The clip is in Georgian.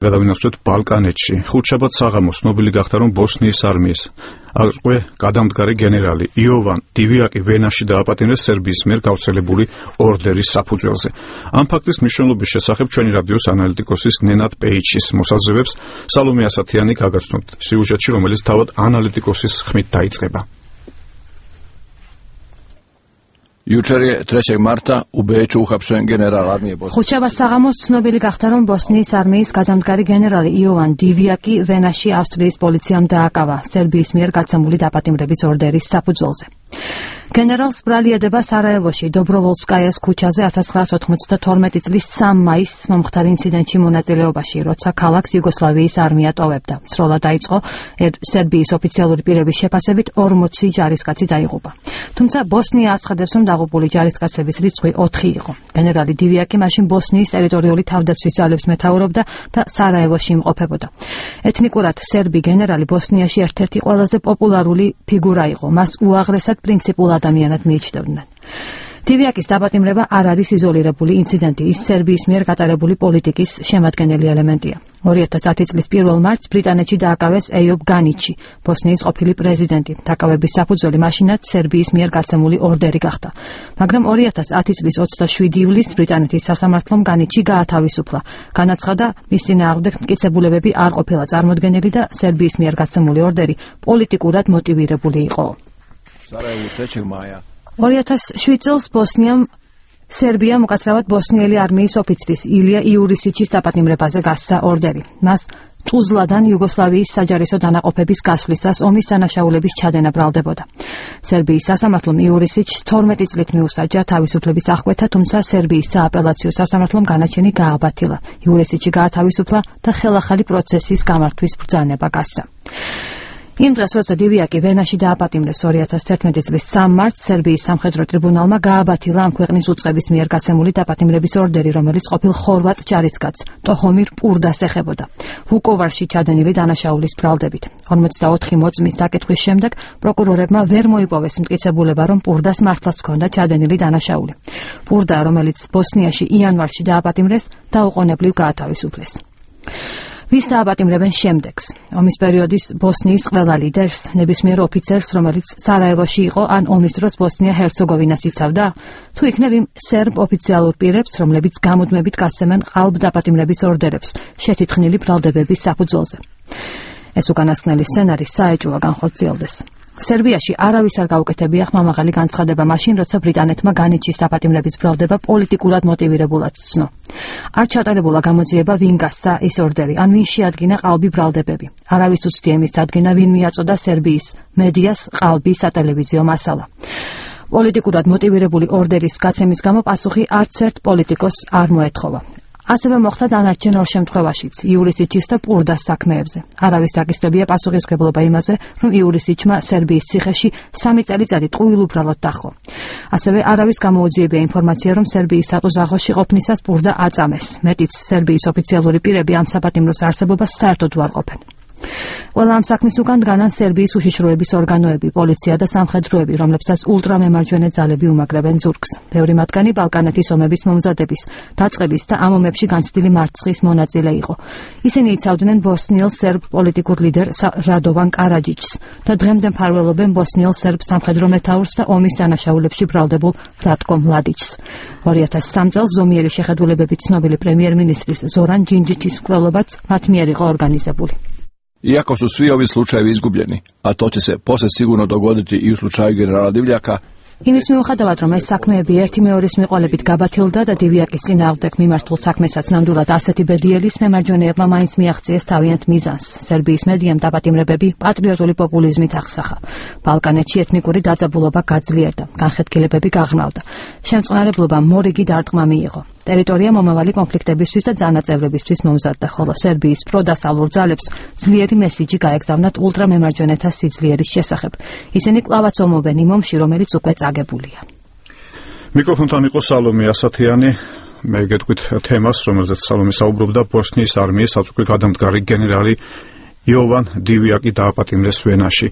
გადავინახოთ ბალკანეთში. ხუთშაბათ საღამოს ცნობილი გახდა, რომ ბოსნიის არმიის აკვე გადამდგარი გენერალი იოვან დივიაკი ვენაში დააპატიმრეს სერბიის მიერ გავრცელებული ორდერის საფუძველზე. ამ ფაქტის მნიშვნელობის შესახებ ჩვენი რადიოს ანალიტიკოსის ნენად პეიჩის მოსაზრებებს სალომე ასათიანი გაგაცნობთ სიუჟეტში, რომელიც თავად ანალიტიკოსის ხმით დაიწყება. Jučer 3. marta u Beču uhapšen general armije Bosne. ხუთშაბათ საღამოს ცნობილი გახდა, რომ ბოსნიის არმიის გადამდგარი გენერალი იოვან დივიაკი ვენაში ავსტრიის პოლიციამ დააკავა სერბიის მიერ გაცემული დაპატიმრების ორდერის საფუძველზე. გენერალს ბრალი ედება სარაევოში დობროვოლსკაიას ქუჩაზე 1992 წლის 3 მაისს მომხდარ ინციდენტში მონაწილეობაში, როცა ქალაქს იუგოსლავიის არმია ტოვებდა. სროლა დაიწყო სერბიის ოფიციალური პირების შეფასებით 40 ჯარისკაცი დაიღუპა. თუმცა ბოსნია აცხადებს, რომ დაღუპული ჯარისკაცების რიცხვი 4 იყო. გენერალი დივიაკი მაშინ ბოსნიის ტერიტორიული თავდაცვის ძალებს მეთაურობდა და სარაევოში იმყოფებოდა. ეთნიკურად სერბი გენერალი ბოსნიაში ერთ-ერთი ყველაზე პოპულარული ფიგურა იყო. მას უაღრესად პრინციპულ ადამიანად მიიჩნევდნენ. დივიაკის დაპატიმრება არ არის იზოლირებული ინციდენტი, ის სერბიის მიერ გატარებული პოლიტიკის შემადგენელი ელემენტია. 2010 წლის 1 მარტს ბრიტანეთში დააკავეს ეიობ განიჩი, ბოსნიის ყოფილი პრეზიდენტი. დაკავების საფუძველი მაშინაც სერბიის მიერ გაცემული ორდერი გახდა. მაგრამ 2010 წლის 27 ივლისს ბრიტანეთის სასამართლომ განიჩი გაათავისუფლა. განაცხადა, მის წინააღმდეგ მტკიცებულებები არ ყოფილა წარმოდგენილი და სერბიის მიერ გაცემული ორდერი პოლიტიკურად მოტივირებული იყო. 2007 წელს სერბიამ უკაცრავად ბოსნიელი არმიის ოფიცრის ილია იურისიჩის დაპატიმრებაზე გასცა ორდერი. მას ტუზლადან იუგოსლავიის საჯარისო დანაყოფების გასვლისას ომის დანაშაულების ჩადენა ბრალდებოდა. სერბიის სასამართლომ იურისიჩს 12 წლით მიუსაჯა თავისუფლების აღკვეთა, თუმცა სერბიის სააპელაციო სასამართლომ განაჩენი გააბათილა. იურისიჩი გაათავისუფლა და ხელახალი პროცესის გამართვის ბრძანება გასცა. იმ დღეს, როცა დივიაკი ვენაში დააპატიმრეს 2011 წლის 3 მარტს, სერბიის სამხედრო ტრიბუნალმა გააბათილა ამ ქვეყნის უწყების მიერ გაცემული დაპატიმრების ორდერი, რომელიც ყოფილ ხორვატ ჯარისკაცს ტოჰომირ პურდას ეხებოდა. ვუკოვარში ჩადენილი დანაშაულის ბრალდებით. 44 მოწმის დაკითხვის შემდეგ პროკურორებმა ვერ მოიპოვეს მტკიცებულება, რომ პურდას მართლაც ჰქონდა ჩადენილი დანაშაული. პურდა, რომელიც ბოსნიაში იანვარში დააპატიმრეს, დაუყოვნებლივ გაათავისუფლეს. ვის დააპატიმრებენ შემდეგს? ომის პერიოდის ბოსნიის ყველა ლიდერს, ნებისმიერ ოფიცერს, რომელიც სარაევოში იყო ან ომის დროს ბოსნია-ჰერცეგოვინას იცავდა? თუ იქნებ იმ სერბ ოფიციალურ პირებს, რომლებიც გამუდმებით გასცემენ ყალბ დაპატიმრების ორდერებს, შეთითხნილი ბრალდებების საფუძველზე. ეს უკანასკნელი სცენარი საეჭვოა განხორციელდეს. სერბიაში არავის არ გაუკეთებია ხმამაღალი განცხადება მაშინ, როცა ბრიტანეთმა განიჩის დაპატიმრების ბრალდება პოლიტიკურად მოტივირებულად ცნო. არ ჩატარებულა გამოძიება, ვინ გასცა ის ორდერი, ან ვინ შეადგინა ყალბი ბრალდებები. არავის უცდია იმის დადგენა, ვინ მიაწოდა სერბიის მედიას ყალბი სატელევიზიო მასალა. პოლიტიკურად მოტივირებული ორდერის გაცემის გამო პასუხი არც ერთ პოლიტიკოსს არ მოეთხოვა. ასევე მოხდა დანარჩენ ორ შემთხვევაშიც, იურისიჩის და პურდას საქმეებზე. არავის დაკისრებია პასუხისმგებლობა იმაზე, რომ იურისიჩმა სერბიის ციხეში 3 წელიწადი ტყუილ უბრალოდ დაჰყო. ასევე არავის გამოუძიებია ინფორმაცია, რომ სერბიის სატუზაღოში ყოფნისას პურდა აწამეს. მეტიც, სერბიის ოფიციალური პირები ამ საპატიმროს არსებობას საერთოდ არ ყოფენ. ყველა ამ საქმის უკან დგანან სერბიის უშიშროების ორგანოები, პოლიცია და სამხედროები, რომლებსაც ულტრამემარჯვენე ძალები უმაგრებენ ზურგს. ბევრი მათგანი ბალკანეთის ომების მომზადების, დაწყების და ამ ომებში განცდილი მარცხის მონაწილე იყო. ისინი იცავდნენ ბოსნიელ სერბ პოლიტიკურ ლიდერ რადოვან კარაჯიჩს და დღემდე მფარველობენ ბოსნიელ სერბ სამხედრო მეთაურს და ომის დანაშაულებში ბრალდებულ რატკო მლადიჩს. 2003 წელს ზომიერი შეხედულებებით ცნობილი პრემიერ-მინისტრის ზორან ჯინჯიჩის მკვლელობაც მათ მიერ იყო ორგანიზებული. Iako su svi ovi slučajevi izgubljeni, a to će se posle sigurno dogoditi i u slučaju generala Divljaka, იმის მიუხედავად, რომ ეს საქმეები ერთი მეორის მიყოლებით გაბათილდა და დივიაკის წინააღმდეგ მიმართულ საქმესაც ნამდვილად ასეთი ბედიელის მემარჯვენეებმა მაინც მიაღწიეს თავიანთ მიზანს. სერბიის მედიამ დაპატიმრებები პატრიოტული პოპულიზმით აღსახა. ბალკანეთში ეთნიკური დაძაბულობა გაძლიერდა, განხეთქილებები გაღრმავდა. შემწყნარებლობა მორიგი დარტყმა მიიღო. ტერიტორია მომავალი კონფლიქტებისთვის და ძალაწევრებისთვის მომზადდა, ხოლო სერბიის პროდასალურ ძალებს ძლიერი მესიჯი გაეგზავნათ ულტრამემარჯვენეთა სიძლიერის შესახებ. ისინი კვლავაც ომობენ იმ ომში, რომელიც უკვე წაგებულია. მიკროფონთან იყო სალომე ასათიანი. მე გეტყვით თემას, რომელზეც სალომე საუბრობდა, ბოსნიის არმიის საწყობი გადამდგარი გენერალი იოვან დივიაკი დააპატიმრეს ვენაში.